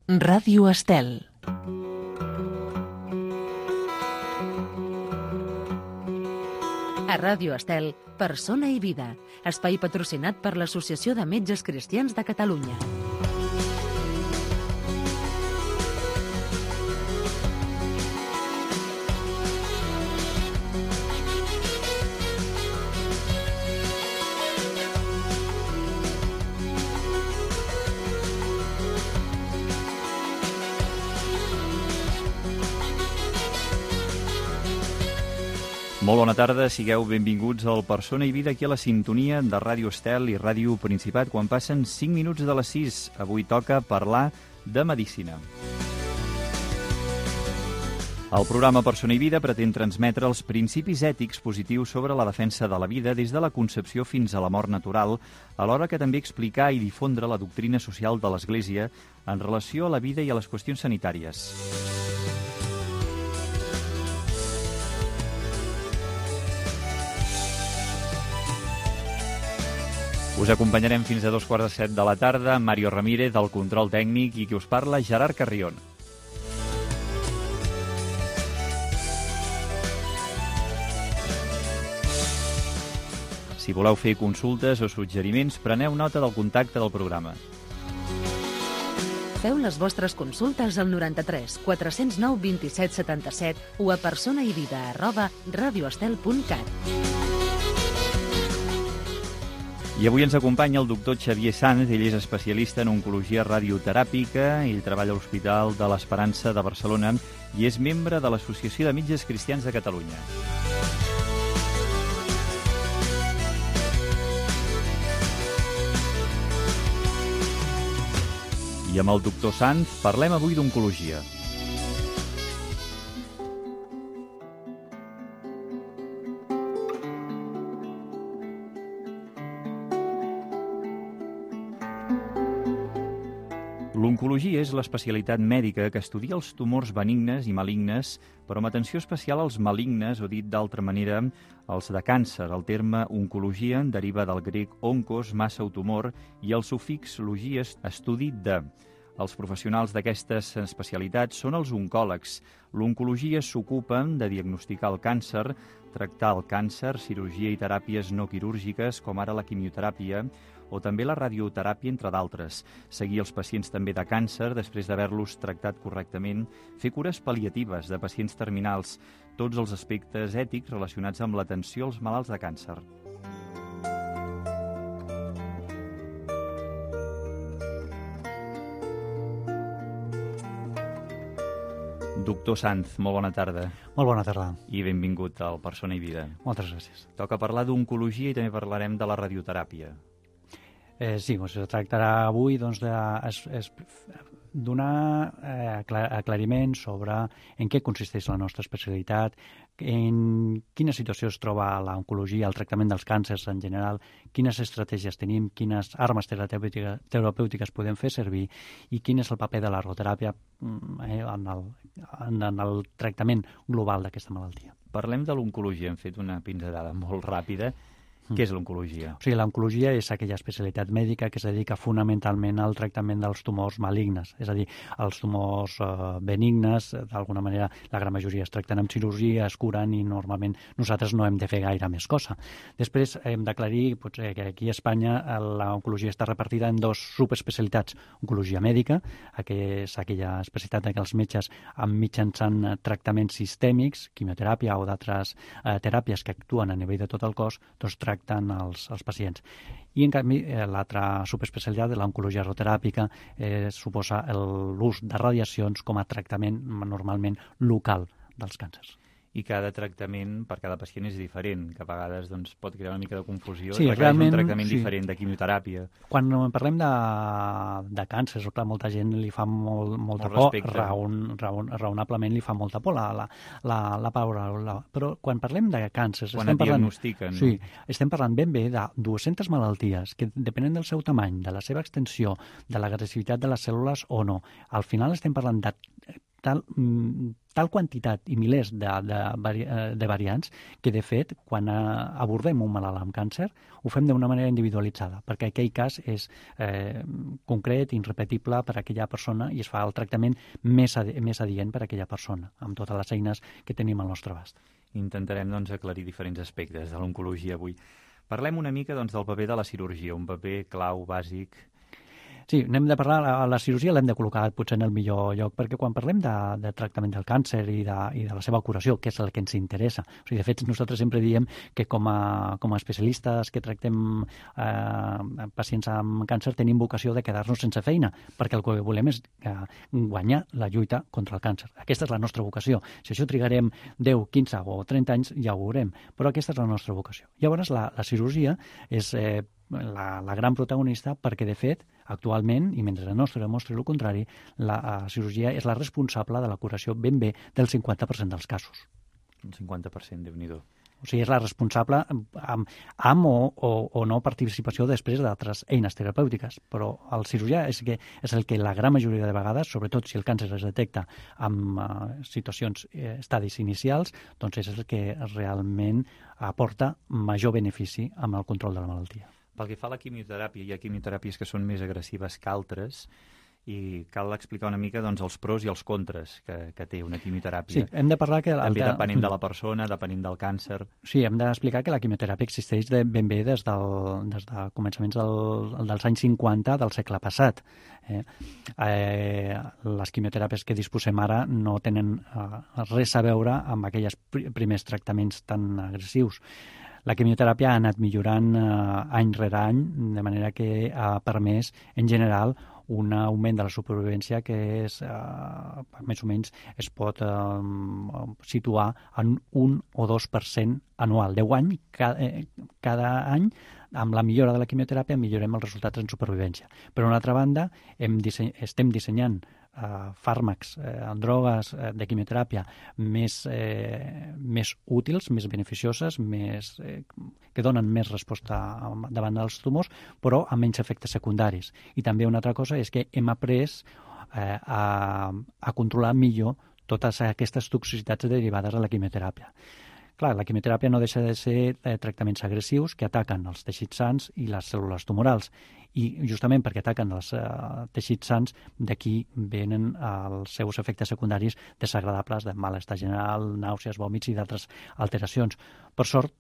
Ràdio Estel. A Ràdio Estel, Persona i Vida, espai patrocinat per l'Associació de Metges Cristians de Catalunya. Molt bona tarda, sigueu benvinguts al Persona i Vida aquí a la sintonia de Ràdio Estel i Ràdio Principat quan passen 5 minuts de les 6. Avui toca parlar de medicina. El programa Persona i Vida pretén transmetre els principis ètics positius sobre la defensa de la vida des de la concepció fins a la mort natural, alhora que també explicar i difondre la doctrina social de l'Església en relació a la vida i a les qüestions sanitàries. Us acompanyarem fins a 2:45 de la tarda, Mario Ramírez, del control tècnic, i qui us parla, Gerard Carrion. Si voleu fer consultes o suggeriments, preneu nota del contacte del programa. Feu les vostres consultes al 93 409 27 77 o a personaivida@radioestel.cat. I avui ens acompanya el doctor Xavier Sanz. Ell és especialista en oncologia radioteràpica. Ell treballa a l'Hospital de l'Esperança de Barcelona i és membre de l'Associació de Metges Cristians de Catalunya. I amb el doctor Sanz parlem avui d'oncologia. L'oncologia és l'especialitat mèdica que estudia els tumors benignes i malignes, però amb atenció especial als malignes, o dit d'altra manera, els de càncer. El terme oncologia deriva del grec onkos, massa o tumor, i el sufix logia, estudi de. Els professionals d'aquestes especialitats són els oncòlegs. L'oncologia s'ocupa de diagnosticar el càncer, tractar el càncer, cirurgia i teràpies no quirúrgiques, com ara la quimioteràpia, o també la radioteràpia, entre d'altres. Seguir els pacients també de càncer després d'haver-los tractat correctament, fer cures pal·liatives de pacients terminals, tots els aspectes ètics relacionats amb l'atenció als malalts de càncer. Doctor Sanz, molt bona tarda. Molt bona tarda. I benvingut al Persona i Vida. Moltes gràcies. Toca parlar d'oncologia i també parlarem de la radioteràpia. Sí, es tractarà avui donar aclariment sobre en què consisteix la nostra especialitat, en quina situació es troba l'oncologia, el tractament dels càncers en general, quines estratègies tenim, quines armes terapèutiques podem fer servir i quin és el paper de la radioteràpia en el tractament global d'aquesta malaltia. Parlem de l'oncologia. Hem fet una pinzellada molt ràpida. Què és l'oncologia? O sigui, l'oncologia és aquella especialitat mèdica que es dedica fonamentalment al tractament dels tumors malignes, és a dir, els tumors benignes, d'alguna manera la gran majoria es tracten amb cirurgia, es curen i normalment nosaltres no hem de fer gaire més cosa. Després hem d'aclarir que aquí a Espanya l'oncologia està repartida en dos subespecialitats. Oncologia mèdica, que és aquella especialitat en què els metges mitjançant tractaments sistèmics, quimioteràpia o d'altres teràpies que actuen a nivell de tot el cos, doncs tracten els pacients. I, en canvi, l'altra subespecialitat de l'oncologia radioteràpica suposa l'ús de radiacions com a tractament normalment local dels càncers. I cada tractament per cada pacient és diferent, que a vegades pot crear una mica de confusió. Sí, realment, un tractament diferent de quimioteràpia. Quan parlem de càncers, clar, molta gent li fa molta por, raonablement li fa molta por la paraula. Però quan parlem de càncers... Quan et diagnostiquen. Sí, estem parlant ben bé de 200 malalties que, depenent del seu tamany, de la seva extensió, de l'agressivitat de les cèl·lules o no, al final estem parlant de tal quantitat i milers de variants que, de fet, quan abordem un malalt amb càncer, ho fem d'una manera individualitzada, perquè aquell cas és concret, irrepetible per a aquella persona i es fa el tractament més adient per a aquella persona, amb totes les eines que tenim al nostre abast. Intentarem aclarir diferents aspectes de l'oncologia avui. Parlem una mica del paper de la cirurgia, un paper clau, bàsic. Sí, n'hem de parlar, la cirurgia l'hem de col·locar potser en el millor lloc, perquè quan parlem de tractament del càncer i de la seva curació, que és el que ens interessa, o sigui, de fet, nosaltres sempre diem que com a especialistes que tractem pacients amb càncer tenim vocació de quedar-nos sense feina, perquè el que volem és guanyar la lluita contra el càncer. Aquesta és la nostra vocació. Si això trigarem 10, 15 o 30 anys, ja ho veurem, però aquesta és la nostra vocació. Llavors, la cirurgia és la gran protagonista perquè, de fet, actualment, i mentre el nostre demostri el contrari, la cirurgia és la responsable de la curació ben bé del 50% dels casos. Un 50%, Déu-n'hi-do. O sigui, és la responsable amb o no participació després d'altres eines terapèutiques. Però el cirurgià és el que la gran majoria de vegades, sobretot si el càncer es detecta amb situacions, estadis inicials, doncs és el que realment aporta major benefici amb el control de la malaltia. Pel que fa a la quimioteràpia, hi ha quimioteràpies que són més agressives que altres i cal explicar una mica els pros i els contres que té una quimioteràpia. Sí, hem de parlar que... També depenent de la persona, depenent del càncer. Sí, hem d'explicar que la quimioteràpia existeix ben bé des de començaments dels anys 50 del segle passat. Les quimioteràpies que disposem ara no tenen res a veure amb aquells primers tractaments tan agressius. La quimioteràpia ha anat millorant any rere any, de manera que ha permès, en general, un augment de la supervivència que és, més o menys es pot situar en 1 o 2% anual. 10 anys, cada any, amb la millora de la quimioteràpia millorem els resultats en supervivència. Per una altra banda, estem dissenyant fàrmacs, drogues de quimioteràpia més útils, més beneficioses, que donen més resposta davant dels tumors, però amb menys efectes secundaris. I també una altra cosa és que hem après a controlar millor totes aquestes toxicitats derivades de la quimioteràpia. Clar, la quimioteràpia no deixa de ser tractaments agressius que ataquen els teixits sans i les cèl·lules tumorals. I justament perquè ataquen els teixits sans, d'aquí venen els seus efectes secundaris desagradables de malestar general, nàusees, vòmits i d'altres alteracions. Per sort,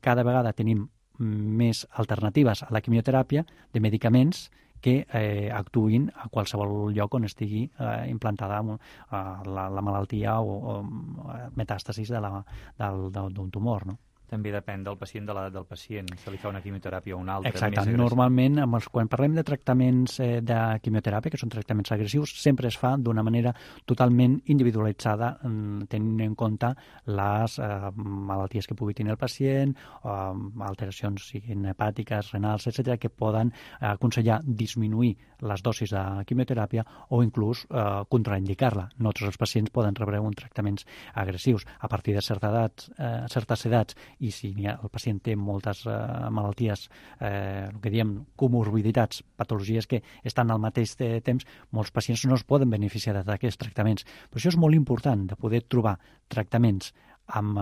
cada vegada tenim més alternatives a la quimioteràpia de medicaments que actuïn a qualsevol lloc on estigui implantada la malaltia o metàstasis d'un tumor, no? També depèn del pacient, del pacient. Se li fa una quimioteràpia o una altra. Exacte. Normalment, quan parlem de tractaments de quimioteràpia, que són tractaments agressius, sempre es fa d'una manera totalment individualitzada, tenint en compte les malalties que pugui tenir el pacient, alteracions siguin hepàtiques, renals, etc., que poden aconsellar disminuir les dosis de quimioteràpia o inclús contraindicar-la. No tots els pacients poden rebre tractaments agressius. A partir de certes edats, i si el pacient té moltes malalties, el que diem comorbiditats, patologies que estan al mateix temps, molts pacients no es poden beneficiar d'aquests tractaments. Per això és molt important de poder trobar tractaments amb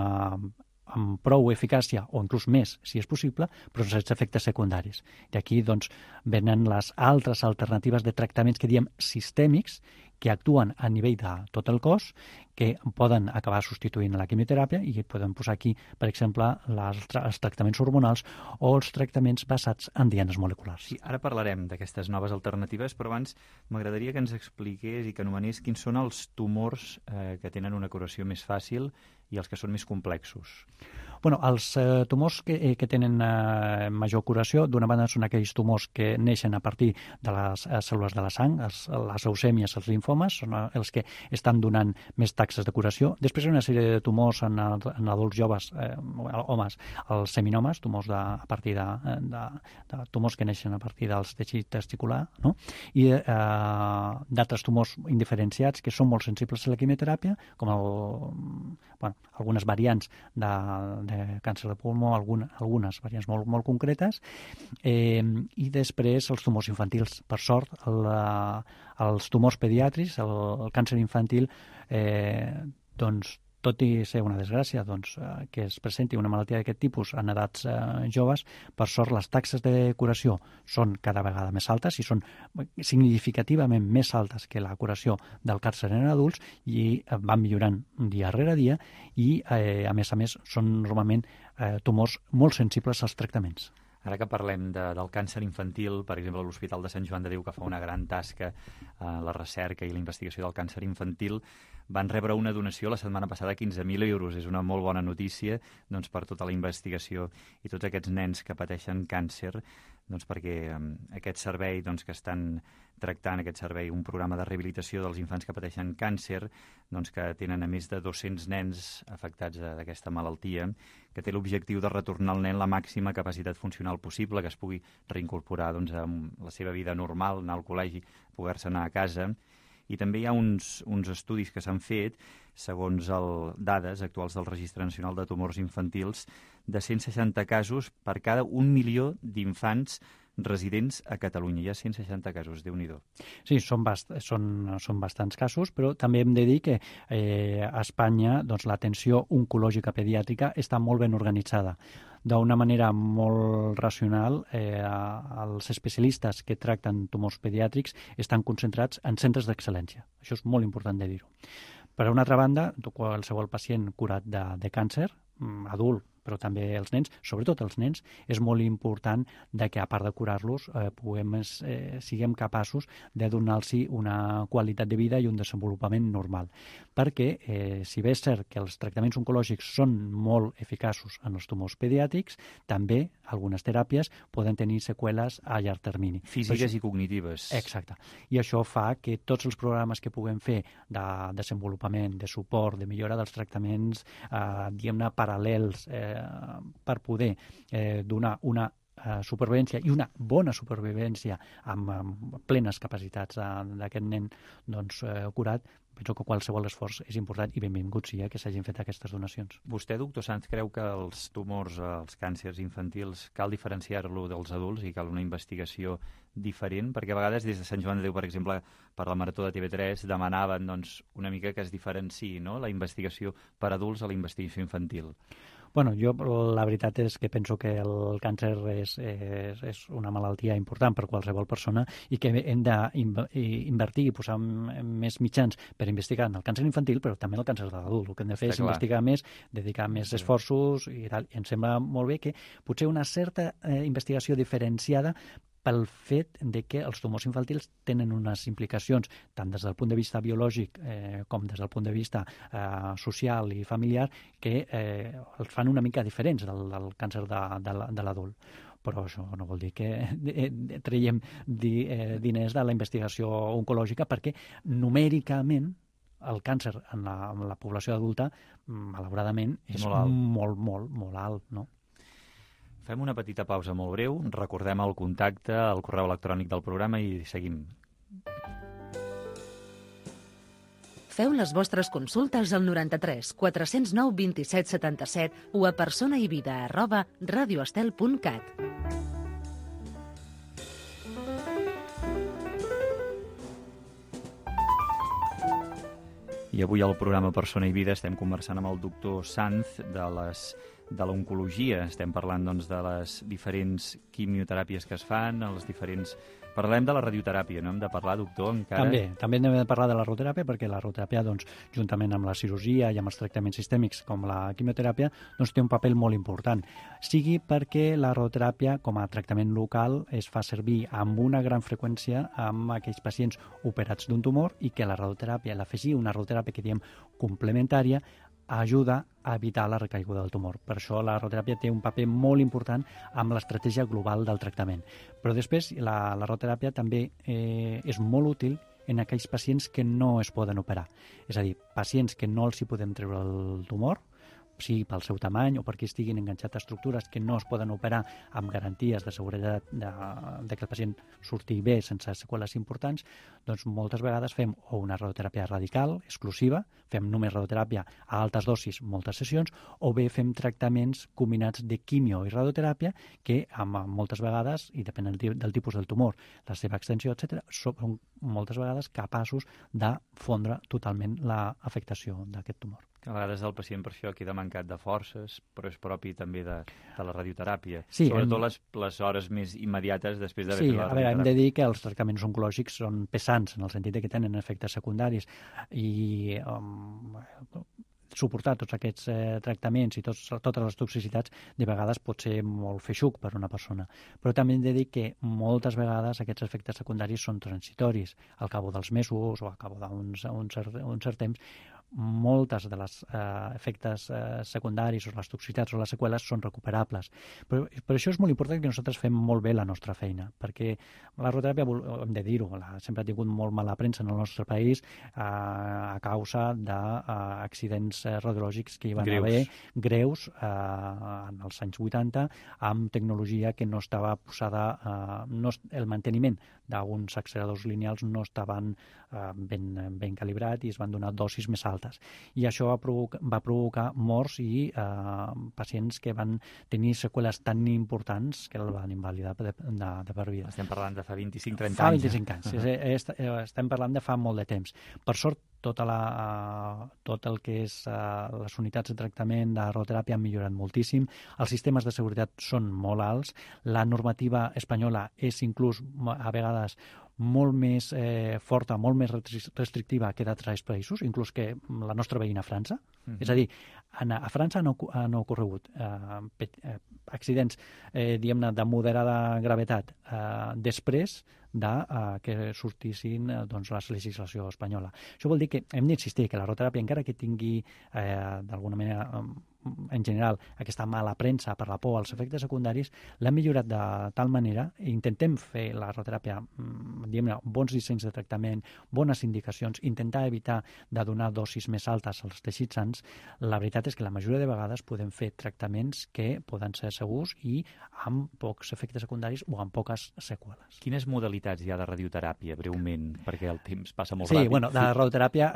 prou eficàcia, o inclús més, si és possible, però sense efectes secundaris. I aquí venen les altres alternatives de tractaments que diem sistèmics, que actuen a nivell de tot el cos, que poden acabar substituint la quimioteràpia i podem posar aquí, per exemple, els tractaments hormonals o els tractaments basats en dianes moleculars. Sí, ara parlarem d'aquestes noves alternatives, però abans m'agradaria que ens expliqués i que anomenés quins són els tumors que tenen una curació més fàcil i els que són més complexos. Bueno, els tumors que tenen major curació, d'una banda són aquells tumors que neixen a partir de les cèl·lules de la sang, les leucèmies, els linfomes, són els que estan donant més taxes de curació. Després hi ha una sèrie de tumors en adults joves, homes, els seminomes, tumors a partir de tumors que neixen a partir dels teixits testicular, no? I d'altres tumors indiferenciats que són molt sensibles a la quimioteràpia, com algunes variants de càncer de pulmó, algunes variants molt concretes, i després els tumors infantils. Per sort, els tumors pediàtrics, el càncer infantil, doncs, tot i ser una desgràcia que es presenti una malaltia d'aquest tipus en edats joves, per sort les taxes de curació són cada vegada més altes i són significativament més altes que la curació del càncer en adults i van millorant dia rere dia i, a més, són normalment tumors molt sensibles als tractaments. Ara que parlem del càncer infantil, per exemple, l'Hospital de Sant Joan de Déu, que fa una gran tasca en la recerca i la investigació del càncer infantil, van rebre una donació la setmana passada, 15.000 euros. És una molt bona notícia per tota la investigació i tots aquests nens que pateixen càncer, perquè aquest servei que estan tractant, aquest servei, un programa de rehabilitació dels infants que pateixen càncer, que tenen a més de 200 nens afectats d'aquesta malaltia, que té l'objectiu de retornar al nen la màxima capacitat funcional possible, que es pugui reincorporar a la seva vida normal, anar al col·legi, poder-se anar a casa. I també hi ha uns estudis que s'han fet, segons dades actuals del Registre Nacional de Tumors Infantils, de 160 casos per cada 1 milió d'infants residents a Catalunya. Hi ha 160 casos, Déu-n'hi-do. Sí, són bastants casos, però també hem de dir que a Espanya l'atenció oncològica pediàtrica està molt ben organitzada. D'una manera molt racional, els especialistes que tracten tumors pediàtrics estan concentrats en centres d'excel·lència. Això és molt important de dir-ho. Per una altra banda, qualsevol pacient curat de càncer, adult, però també els nens, sobretot els nens, és molt important que, a part de curar-los, siguem capaços de donar-los una qualitat de vida i un desenvolupament normal. Perquè, si bé és cert que els tractaments oncològics són molt eficaços en els tumors pediàtrics, també algunes teràpies poden tenir seqüeles a llarg termini. Físiques i cognitives. Exacte. I això fa que tots els programes que puguem fer de desenvolupament, de suport, de millora dels tractaments, diguem-ne, paral·lels, per poder donar una supervivència i una bona supervivència amb plenes capacitats d'aquest nen curat, penso que qualsevol esforç és important i benvingut sigui que s'hagin fet aquestes donacions. Vostè, doctor Sanz, creu que els tumors, els càncers infantils, cal diferenciar-lo dels adults i cal una investigació diferent? Perquè a vegades des de Sant Joan de Déu, per exemple, per la Marató de TV3, demanaven una mica que es diferenciï, no?, la investigació per adults a la investigació infantil. Bueno, jo la veritat és que penso que el càncer és una malaltia important per qualsevol persona i que hem d'invertir i posar més mitjans per investigar en el càncer infantil, però també en el càncer de l'adult. El que hem de fer és investigar més, dedicar més esforços i tal. I em sembla molt bé que potser una certa investigació diferenciada pel fet de que els tumors infantils tenen unes implicacions tant des del punt de vista biològic com des del punt de vista social i familiar que els fan una mica diferents del càncer de l'adult. Però això no vol dir que traiem diners de la investigació oncològica, perquè numèricament el càncer en la població adulta, malauradament, és molt alt, no? Fem una petita pausa molt breu, recordem el contacte, el correu electrònic del programa i seguim. Feu les vostres consultes al 93 409 27 77 o a personaivida@radioestel.cat. I avui al programa Persona i Vida estem conversant amb el doctor Sanz de l'oncologia. Estem parlant de les diferents quimioteràpies que es fan, Parlem de la radioteràpia, no hem de parlar, doctor, encara? També hem de parlar de la radioteràpia, perquè la radioteràpia, juntament amb la cirurgia i amb els tractaments sistèmics com la quimioteràpia, té un paper molt important. Sigui perquè la radioteràpia, com a tractament local, es fa servir amb una gran freqüència amb aquells pacients operats d'un tumor i que la radioteràpia, l'afegir una radioteràpia que diem complementària, ajuda a evitar la recaiguda del tumor. Per això la radioteràpia té un paper molt important amb l'estratègia global del tractament. Però després la radioteràpia també és molt útil en aquells pacients que no es poden operar. És a dir, pacients que no els hi podem treure el tumor, sigui pel seu tamany o perquè estiguin enganxats a estructures que no es poden operar amb garanties de seguretat de que el pacient surti bé sense seqüeles importants, doncs moltes vegades fem o una radioteràpia radical, exclusiva, fem només radioteràpia a altes dosis, moltes sessions, o bé fem tractaments combinats de quimio i radioteràpia que moltes vegades, i depèn del tipus del tumor, la seva extensió, etc., són moltes vegades capaços de fondre totalment l'afectació d'aquest tumor. A vegades el pacient per això queda mancat de forces, però és propi també de la radioteràpia. Sí, sobretot les hores més immediates després d'haver fet la radioteràpia. Hem de dir que els tractaments oncològics són pesants, en el sentit que tenen efectes secundaris, i suportar tots aquests tractaments i totes les toxicitats de vegades pot ser molt feixuc per una persona. Però també hem de dir que moltes vegades aquests efectes secundaris són transitoris. Al cabo dels mesos o al cabo d'un cert temps, moltes de les efectes secundaris o les toxicitats o les seqüeles són recuperables. Però per això és molt important que nosaltres fem molt bé la nostra feina, perquè la radioteràpia, hem de dir-ho, sempre ha tingut molt mala premsa en el nostre país a causa d'accidents radiològics que hi van haver greus en els anys 80 amb tecnologia que no estava posada, el manteniment d'uns acceleradors lineals no estaven ben calibrat i es van donar dosis més altes. I això va provocar morts i pacients que van tenir seqüeles tan importants que el van invalidar de per vida. Estem parlant de fa 25-30 anys. Fa 25 anys. Estem parlant de fa molt de temps. Per sort, tot el que és les unitats de tractament de radioteràpia han millorat moltíssim, els sistemes de seguretat són molt alts, la normativa espanyola és inclús a vegades molt més forta, molt més restrictiva que d'altres països, inclús que la nostra veïna França. És a dir, a França han ocorregut accidents, diguem-ne, de moderada gravetat després que sortissin la legislació espanyola. Això vol dir que hem d'insistir que la radioteràpia, encara que tingui d'alguna manera en general aquesta mala premsa per la por als efectes secundaris, l'hem millorat de tal manera, intentem fer la radioteràpia, diguem-ne, bons dissenys de tractament, bones indicacions, intentar evitar de donar dosis més altes als teixits sans. La veritat és que la majoria de vegades podem fer tractaments que poden ser segurs i amb pocs efectes secundaris o amb poques seqüeles. Quines modalitats hi ha de radioteràpia, breument, perquè el temps passa molt ràpid? Sí, bueno, de radioteràpia,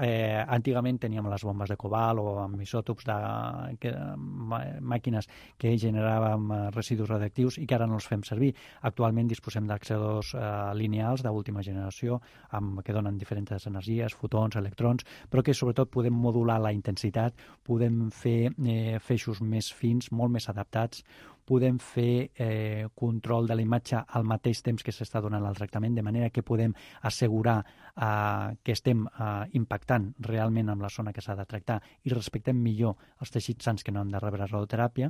antigament teníem les bombes de cobalt o amb isòtops màquines que generàvem residus radioactius i que ara no els fem servir. Actualment disposem d'acceleradors lineals d'última generació que donen diferents energies, fotons, electrons, però que sobretot podem modular la intensitat, podem fer feixos més fins, molt més adaptats, podem fer control de la imatge al mateix temps que s'està donant el tractament, de manera que podem assegurar que estem impactant realment amb la zona que s'ha de tractar i respectem millor els teixits sans que no han de rebre radioteràpia,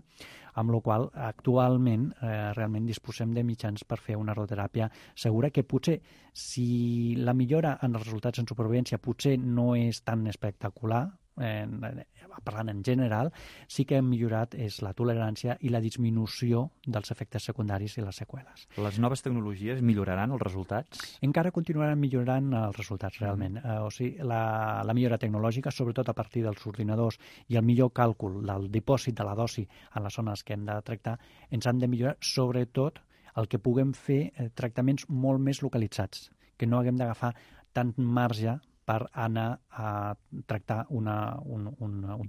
amb la qual actualment realment disposem de mitjans per fer una radioteràpia segura, que potser, si la millora en els resultats en supervivència potser no és tan espectacular, parlant en general, sí que hem millorat és la tolerància i la disminució dels efectes secundaris i les seqüeles. Les noves tecnologies milloraran els resultats? Encara continuaran millorant els resultats, realment. O sigui, la millora tecnològica, sobretot a partir dels ordinadors i el millor càlcul del dipòsit de la dosi en les zones que hem de tractar, ens han de millorar, sobretot el que puguem fer tractaments molt més localitzats, que no haguem d'agafar tant marge per anar a tractar un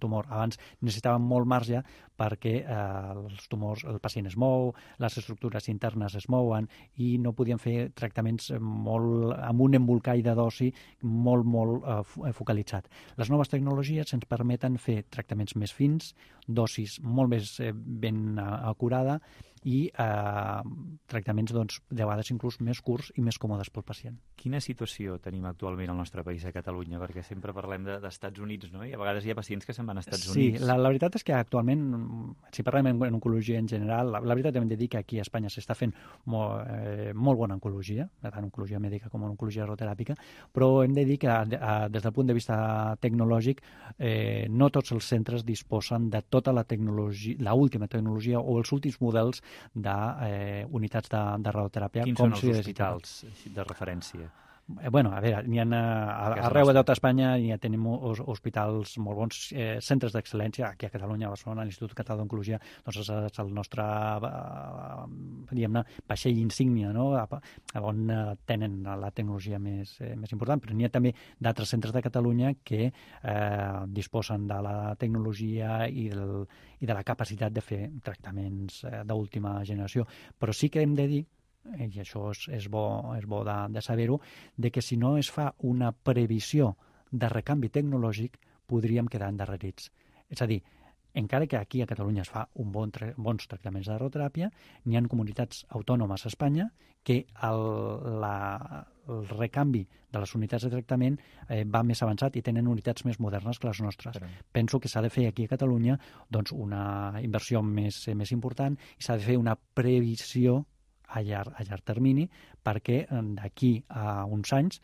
tumor. Abans necessitàvem molt marge perquè els tumors, el pacient es mou, les estructures internes es mouen i no podíem fer tractaments amb un embolcall de dosi molt focalitzat. Les noves tecnologies ens permeten fer tractaments més fins, dosis molt més ben acurada i tractaments de vegades inclús més curts i més còmodes pel pacient. Quina situació tenim actualment al nostre país, a Catalunya? Perquè sempre parlem d'Estats Units, no? I a vegades hi ha pacients que se'n van a Estats Units. Sí, la veritat és que actualment, si parlem en oncologia en general, la veritat hem de dir que aquí a Espanya s'està fent molt bona oncologia, tant oncologia mèdica com oncologia radioteràpica, però hem de dir que des del punt de vista tecnològic no tots els centres disposen de tota la tecnologia, l'última tecnologia o els últims models d'unitats de radioteràpia. Quins són els hospitals de referència? Bueno, a veure, n'hi ha arreu de tota Espanya, ja tenim hospitals molt bons, centres d'excel·lència, aquí a Catalunya, a Barcelona, l'Institut Català d'Oncologia, doncs és el nostre, diguem-ne, vaixell insígnia, no?, on tenen la tecnologia més important, però n'hi ha també d'altres centres de Catalunya que disposen de la tecnologia i de la capacitat de fer tractaments d'última generació. Però sí que hem de dir, i això és bo de saber-ho, de que si no es fa una previsió de recanvi tecnològic, podríem quedar endarrerits. És a dir, encara que aquí a Catalunya es fa bons tractaments de radioteràpia, n'hi ha comunitats autònomes a Espanya que el recanvi de les unitats de tractament va més avançat i tenen unitats més modernes que les nostres. Penso que s'ha de fer aquí a Catalunya doncs, una inversió més important i s'ha de fer una previsió a llarg termini perquè d'aquí a uns anys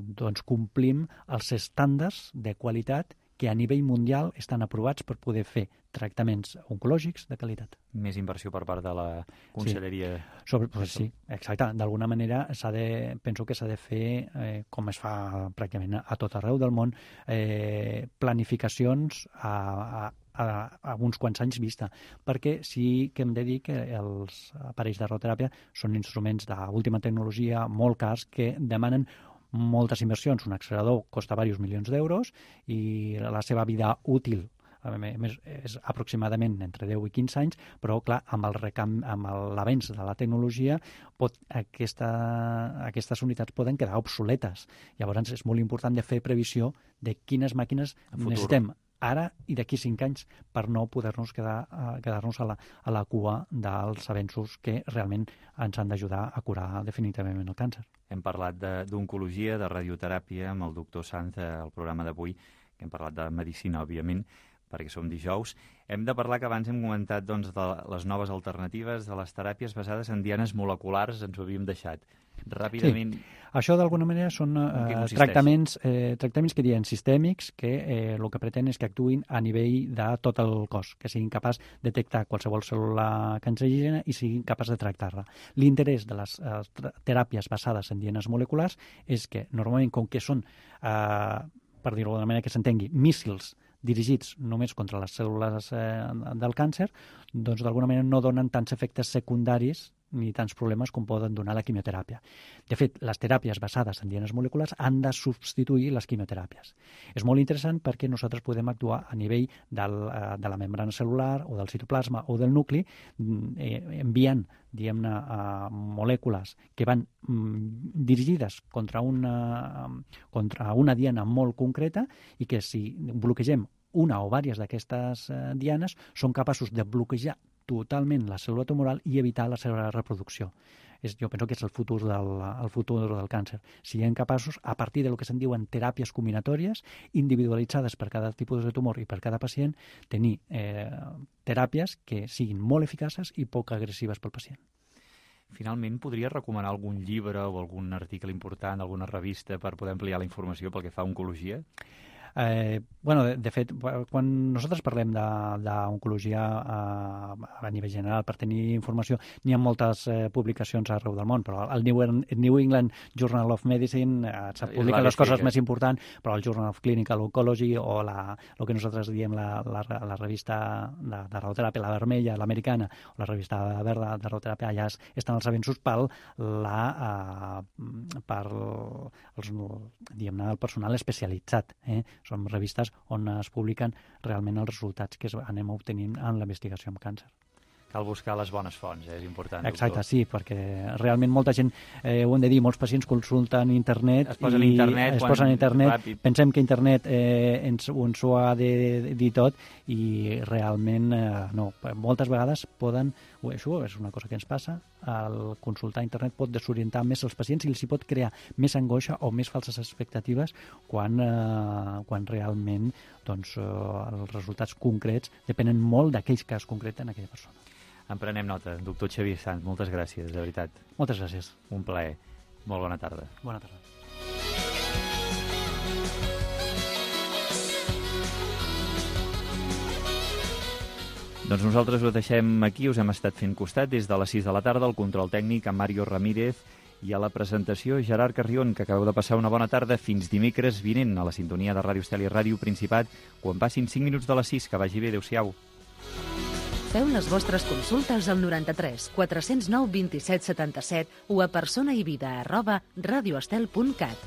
doncs complim els estàndards de qualitat que a nivell mundial estan aprovats per poder fer tractaments oncològics de qualitat. Més inversió per part de la Conselleria. Sí, exacte. D'alguna manera penso que s'ha de fer, com es fa pràcticament a tot arreu del món, planificacions a uns quants anys vista, perquè sí que hem de dir que els aparells de radioteràpia són instruments d'última tecnologia molt cars que demanen moltes inversions. Un accelerador costa diversos milions d'euros i la seva vida útil és aproximadament entre 10 i 15 anys, però clar, amb l'avenç de la tecnologia aquestes unitats poden quedar obsoletes. Llavors és molt important de fer previsió de quines màquines necessitem ara i d'aquí 5 anys per no poder-nos quedar-nos a la cua dels avenços que realment ens han d'ajudar a curar definitivament el càncer. Hem parlat d'oncologia, de radioteràpia amb el doctor Sanz al programa d'avui, que hem parlat de medicina, òbviament, perquè som dijous. Hem de parlar, que abans hem comentat de les noves alternatives, de les teràpies basades en dianes moleculars, ens ho havíem deixat. Ràpidament... Sí. Això, d'alguna manera, són tractaments que diuen sistèmics, que el que pretén és que actuïn a nivell de tot el cos, que siguin capaç de detectar qualsevol cèl·lula cancerígena i siguin capaç de tractar-la. L'interès de les teràpies basades en dianes moleculars és que, normalment, com que són, per dir-ho d'una manera que s'entengui, míssils dirigits només contra les cèl·lules del càncer, doncs d'alguna manera no donen tants efectes secundaris ni tants problemes com poden donar la quimioteràpia. De fet, les teràpies basades en dianes moleculars han de substituir les quimioteràpies. És molt interessant perquè nosaltres podem actuar a nivell de la membrana cel·lular o del citoplasma o del nucli, enviant, diguem-ne, molècules que van dirigides contra una diana molt concreta i que si bloquegem una o diverses d'aquestes dianes són capaços de bloquejar totalment la cèl·lula tumoral i evitar la seva reproducció. Jo penso que és el futur del càncer. Siguem capaços, a partir del que se'n diuen teràpies combinatòries, individualitzades per cada tipus de tumor i per cada pacient, tenir teràpies que siguin molt eficaces i poc agressives pel pacient. Finalment, podria recomanar algun llibre o algun article important, alguna revista, per poder ampliar la informació pel que fa a oncologia? De fet, quan nosaltres parlem d'oncologia a nivell general, per tenir informació, n'hi ha moltes publicacions arreu del món, però el New England Journal of Medicine se publiquen les coses més importants, però el Journal of Clinical Oncology o el que nosaltres diem la revista de radioteràpia, la vermella, l'americana, o la revista verda de radioteràpia, allà estan els avenços per el personal especialitzat. Són revistes on es publiquen realment els resultats que anem obtenint en la investigació amb càncer. Cal buscar les bones fonts, és important. Exacte, doctor. Sí, perquè realment molta gent, ho hem de dir, molts pacients consulten internet es posen a internet. Pensem que internet ens ho ha de dir tot i realment no. Moltes vegades això és una cosa que ens passa, el consultar internet pot desorientar més els pacients i els hi pot crear més angoixa o més falses expectatives quan realment doncs, els resultats concrets depenen molt d'aquells que es concreten en aquella persona. En prenem nota. Doctor Xavier Sanz, moltes gràcies, de veritat. Moltes gràcies. Un plaer. Molt bona tarda. Bona tarda. Doncs nosaltres ho deixem aquí, us hem estat fent costat des de les 6 de la tarda, el control tècnic amb Mario Ramírez I a la presentació, Gerard Carrion, que acabeu de passar una bona tarda. Fins dimecres vinent a la sintonia de Ràdio Estel i Ràdio Principat, quan passin 5 minuts de les 6. Que vagi bé, adéu-siau. Feu les vostres consultes al 93 409 27 77 o a personaivida@radioestel.cat.